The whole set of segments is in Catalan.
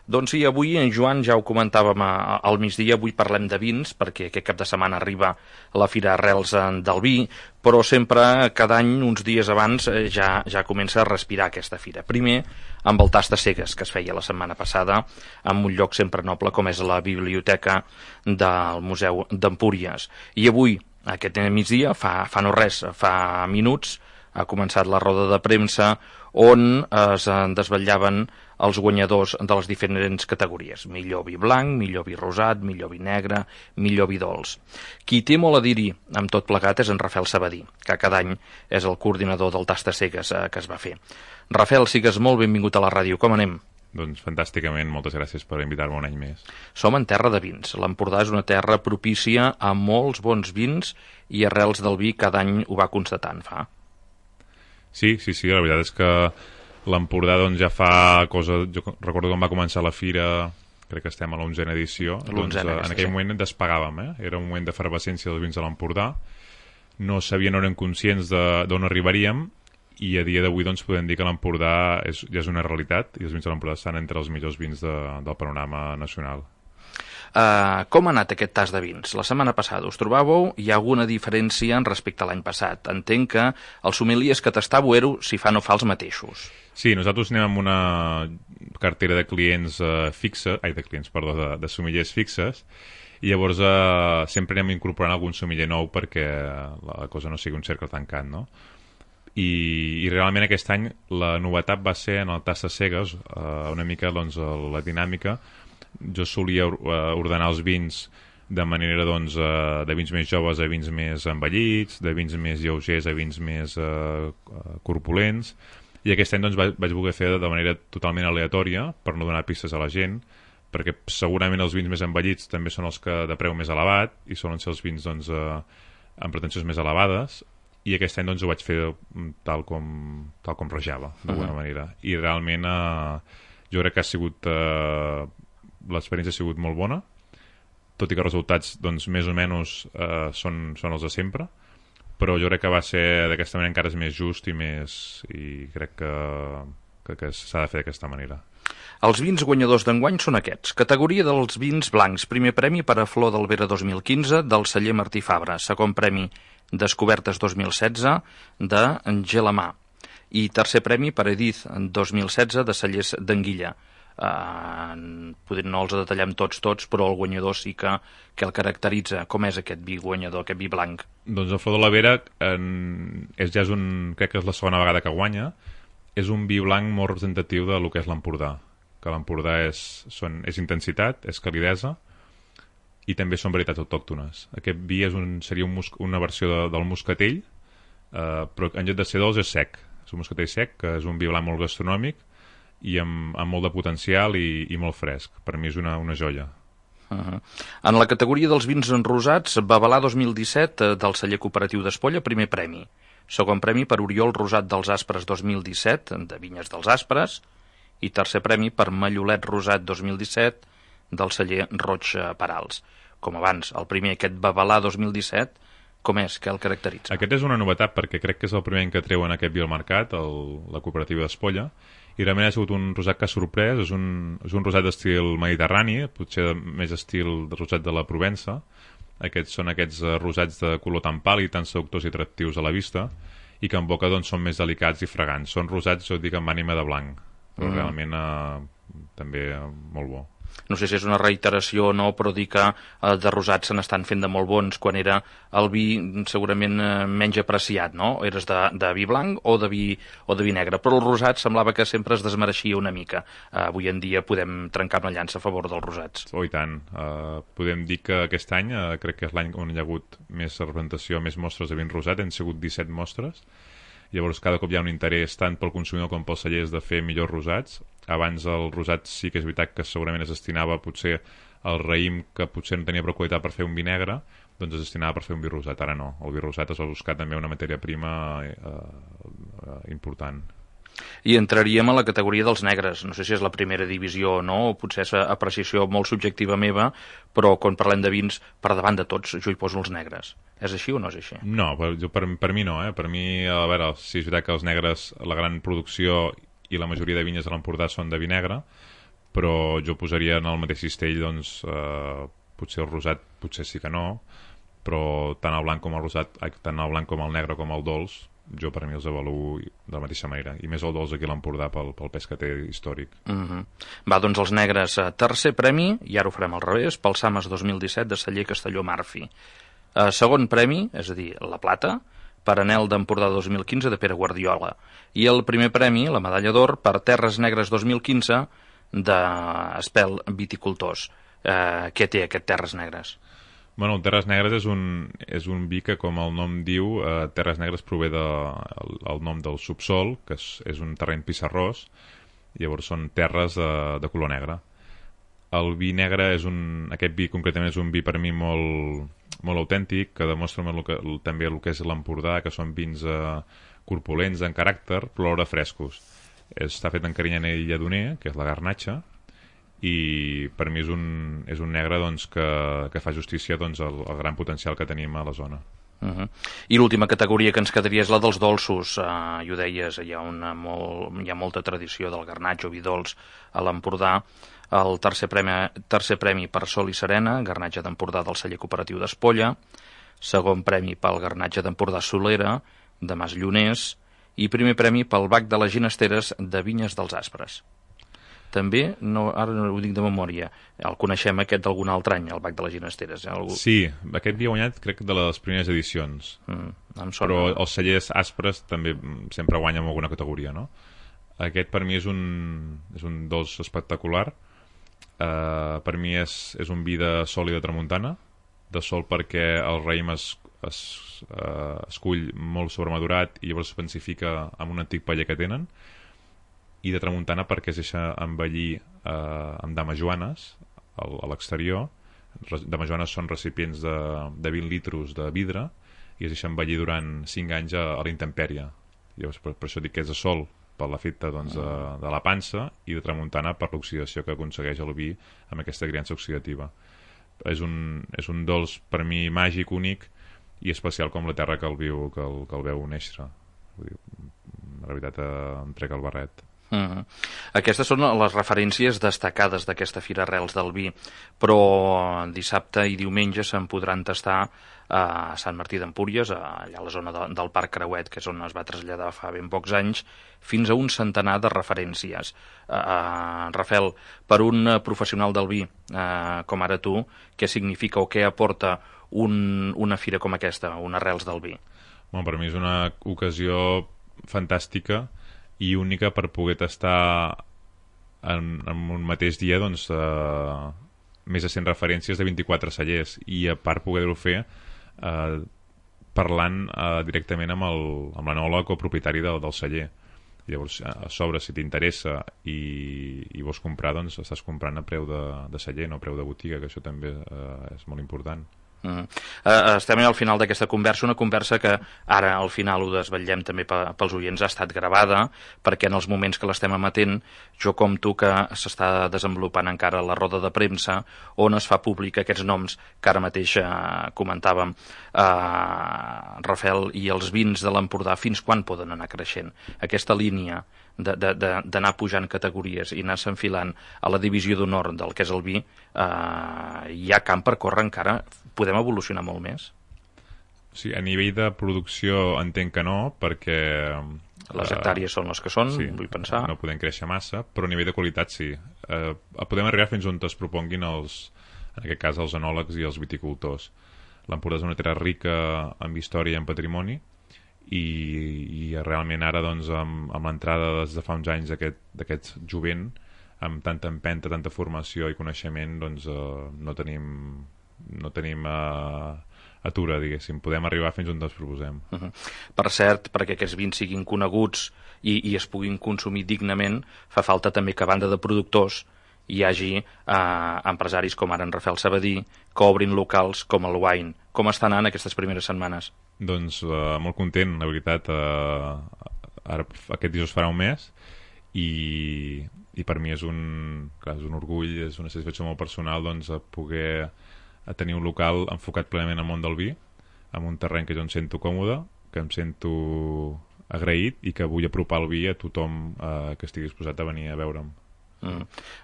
Doncs sí, avui en Joan ja ho comentàvem al migdia, avui parlem de vins, perquè aquest cap de setmana arriba la Fira Arrels del Vi, però sempre, cada any, uns dies abans, ja comença a respirar aquesta fira. Primer, amb el tast de cegues, que es feia la setmana passada, en un lloc sempre noble com és la biblioteca del Museu d'Empúries. I avui, aquest migdia, fa no res, fa minuts, ha començat la roda de premsa on es desvetllaven els guanyadors de les diferents categories. Millor vi blanc, millor vi rosat, millor vi negre, millor vi dolç. Qui té molt a dir-hi amb tot plegat és en Rafael Sabadí, que cada any és el coordinador del tast de cegues que es va fer. Rafael, sigues molt benvingut a la ràdio. Com anem? Doncs fantàsticament, moltes gràcies per invitar-me un any més. Som en terra de vins. L'Empordà és una terra propícia a molts bons vins i Arrels del Vi cada any ho va constatant, fa. Sí, la veritat és que l'Empordà doncs, ja fa cosa... Jo recordo quan va començar la fira, crec que estem a l'11a edició, doncs, en aquell moment despegàvem, era un moment d'efervescència dels vins de l'Empordà, no sabien, no eren conscients d'on arribaríem, i a dia d'avui doncs, podem dir que l'Empordà ja és una realitat, i els vins de l'Empordà estan entre els millors vins del panorama nacional. Com ha anat aquest tast de vins? La setmana passada us trobàveu? Hi ha alguna diferència respecte a l'any passat? Entenc que els sommeliers que tastàveu si fa no fa els mateixos. Sí, nosaltres anem amb una cartera de clients de sommeliers fixes, i llavors sempre anem incorporant algun sommelier nou perquè la cosa no sigui un cercle tancat, no? I realment aquest any la novetat va ser en el tast de cegues, una mica doncs, la dinàmica. Jo solia ordenar els vins de manera doncs, de vins més joves a vins més envellits, de vins més lleugers a vins més corpulents, i aquest any doncs, vaig voler fer de manera totalment aleatòria per no donar pistes a la gent, perquè segurament els vins més envellits també són els que de preu més elevat i solen ser els vins doncs, amb pretensions més elevades, i aquest any doncs, ho vaig fer tal com rejava d'alguna manera, i realment jo crec que ha sigut l'experiència ha sigut molt bona, tot i que els resultats doncs, més o menys són els de sempre, però jo crec que va ser d'aquesta manera encara és més just i crec que s'ha de fer d'aquesta manera. Els vins guanyadors d'enguany són aquests. Categoria dels vins blancs. Primer premi per a Flor d'Albera 2015 del celler Martí Fabra. Segon premi Descobertes 2016 de Gelamà. I tercer premi per Edith 2016 de Cellers d'Anguilla. Potser no els detallem tots, però el guanyador sí que el caracteritza. Com és aquest vi guanyador, aquest vi blanc? Doncs el Flor de l'Albera crec que és la segona vegada que guanya. És un vi blanc molt representatiu del que és l'Empordà, que l'Empordà és intensitat, és calidesa, i també són varietats autòctones. Aquest vi seria una versió del moscatell, però en lloc de ser dolç és sec. És un moscatell sec, que és un vi blanc molt gastronòmic i amb molt de potencial i molt fresc. Per mi és una joia. En la categoria dels vins enrosats, Babalà 2017 del celler cooperatiu d'Espolla, primer premi. Segon premi per Oriol Rosat dels Aspres 2017, de Vinyes dels Aspres, i tercer premi per Mallolet Rosat 2017 del celler Roig Perals. Com abans, el primer, aquest Babalà 2017, com és? Què el caracteritza? Aquest és una novetat perquè crec que és el primer any que treuen aquest vi al mercat, la cooperativa d'Espolla, i realment ha sigut un rosat que ha sorprès. És un rosat d'estil mediterrani, potser més estil de rosat de la Provença. Són aquests rosats de color tan pàl·lid, tan seductors i atractius a la vista, i que en boca doncs, són més delicats i fragants. Són rosats, jo dic, amb ànima de blanc, però realment també molt bo. No sé si és una reiteració o no, però dir que de rosats se n'estan fent de molt bons, quan era el vi segurament menys apreciat, no? Eres de vi blanc o de vi negre, però el rosat semblava que sempre es desmereixia una mica. Avui en dia podem trencar una llança a favor dels rosats. Oh, i tant. Podem dir que aquest any, crec que és l'any on hi ha hagut més representació, més mostres de vin rosat, han sigut 17 mostres. Llavors cada cop hi ha un interès tant pel consumidor com pels cellers de fer millors rosats. Abans el rosat sí que és veritat que segurament es destinava potser al raïm, que potser no tenia prou qualitat per fer un vi negre, doncs es destinava per fer un vi rosat. Ara no, el vi rosat es va buscar també una matèria prima important. I entraríem a la categoria dels negres. No sé si és la primera divisió o no, o potser és apreciació molt subjectiva meva, però quan parlem de vins, per davant de tots, jo hi poso els negres. És així o no és així? No, per mi no. Per mi, a veure, sí és veritat que els negres, la gran producció i la majoria de vinyes de l'Empordà són de vi negre, però jo posaria en el mateix cistell, doncs, potser el rosat, potser sí que no, però tant el blanc com el rosat, tant el blanc com el negre com el dolç, jo per mi els avaluo de la mateixa manera, i més el dolç aquí a l'Empordà pel pes que té històric. Va, doncs els negres, tercer premi, i ara ho farem al revés, pel Sames 2017 de Celler Castelló Marfi. Segon premi, és a dir, la plata, per Anel d'Empordà 2015 de Pere Guardiola, i el primer premi, la medalla d'or, per Terres Negres 2015 d'Espel Viticultors. Què té aquest Terres Negres? Bueno, Terres Negres és un vi que, com el nom diu, Terres Negres prové el nom del subsol, que és un terreny pissarrós, llavors són terres de color negre. El vi negre aquest vi concretament és un vi per mi molt autèntic, que demostra també el que és l'Empordà, que són vins corpulents en caràcter, però alhora frescos. Està fet en Carinyena i Lledoner, que és la garnatxa, i per mi és un negre, doncs, que fa justícia, doncs, al gran potencial que tenim a la zona. I l'última categoria que ens quedaria és la dels dolços. I ho deies, hi ha molta tradició del garnatx o vi dolç a l'Empordà. El tercer premi per Sol i Serena, garnatge d'Empordà del celler cooperatiu d'Espolla. Segon premi pel garnatge d'Empordà Solera, de Mas Lloners. I primer premi pel bac de les Ginesteres de Vinyes dels Aspres. També, ara no ho dic de memòria, el coneixem aquest d'algun altre any, el bac de les Ginesteres. Sí, aquest havia guanyat, crec, de les primeres edicions. Però els cellers aspres també sempre guanyen en alguna categoria, no? Aquest per mi és un dolç espectacular. Per mi és un vi de sol i de tramuntana. De sol perquè el raïm es cull molt sobremadurat i llavors es pensifica amb un antic paller que tenen, i de tramuntana perquè es deixa envellir amb damajuanes a l'exterior. Damajuanes són recipients de 20 litros de vidre i es deixa envellir durant 5 anys a la intempèrie. Llavors, per això dic que és de sol per l'efecte, doncs, de la pansa, i de tramuntana per l'oxidació que aconsegueix el vi amb aquesta criança oxidativa. És un dolç per mi màgic, únic i especial com la terra que el veu néixer. Vull dir, la veritat, em trec el barret. Aquestes són les referències destacades d'aquesta Fira Arrels del Vi, però dissabte i diumenge se'n podran tastar a Sant Martí d'Empúries, allà a la zona del Parc Creuet, que és on es va traslladar fa ben pocs anys, fins a un centenar de referències. Rafael, per un professional del vi com ara tu, què significa o què aporta una fira com aquesta, un Arrels del Vi? Bueno, per mi és una ocasió fantàstica i única per poder tastar en un mateix dia, doncs, més de 100 referències de 24 cellers, i a part poder-ho fer parlant directament amb l'enòleg o propietari del celler. Llavors, a sobre, si t'interessa i vols comprar, doncs estàs comprant a preu de celler, no a preu de botiga, que això també és molt important. Estem al final d'aquesta conversa, una conversa que ara al final ho desvetllem també pels oients, ha estat gravada, perquè en els moments que l'estem emetent, jo com tu que s'està desenvolupant encara la roda de premsa on es fa públic aquests noms que ara mateix comentàvem, Rafael, i els vins de l'Empordà fins quan poden anar creixent? Aquesta línia d'anar pujant categories i anar s'enfilant a la divisió d'honor del que és el vi, hi ha camp per córrer encara? Podem evolucionar molt més? Sí, a nivell de producció entenc que no, perquè les hectàrees són les que són, sí, vull pensar. No podem créixer massa, però a nivell de qualitat sí. Podem arribar fins on es proponguin en aquest cas els enòlegs i els viticultors. L'Empordà és una terra rica en història i en patrimoni, i realment ara, doncs, amb l'entrada des de fa uns anys d'aquest jovent, amb tanta empenta, tanta formació i coneixement, doncs no tenim atura, diguéssim. Podem arribar fins on ens proposem. Per cert, perquè aquests vins siguin coneguts i es puguin consumir dignament, fa falta també que, a banda de productors, hi hagi empresaris com ara en Rafael Sabadí, que obrin locals com el Wine. Com estan anant aquestes primeres setmanes? Doncs molt content, la veritat. Ara aquest dijous farà un mes i per mi és un orgull, és una satisfacció molt personal, doncs, poder tenir un local enfocat plenament al món del vi, amb un terreny que jo em sento còmode, que em sento agraït i que vull apropar el vi a tothom que estigui disposat a venir a veure'm.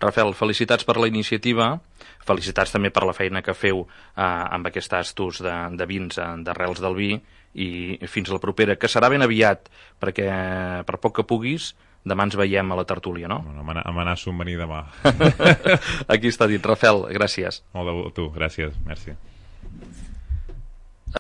Rafael, felicitats per la iniciativa, felicitats també per la feina que feu amb aquest tastos de vins d'arrels del vi, i fins la propera, que serà ben aviat, perquè per poc que puguis, demà ens veiem a la tertúlia, no? Bueno, amenaço en venir demà. Aquí està dit. Rafael, gràcies. Molt de tu, gràcies, merci.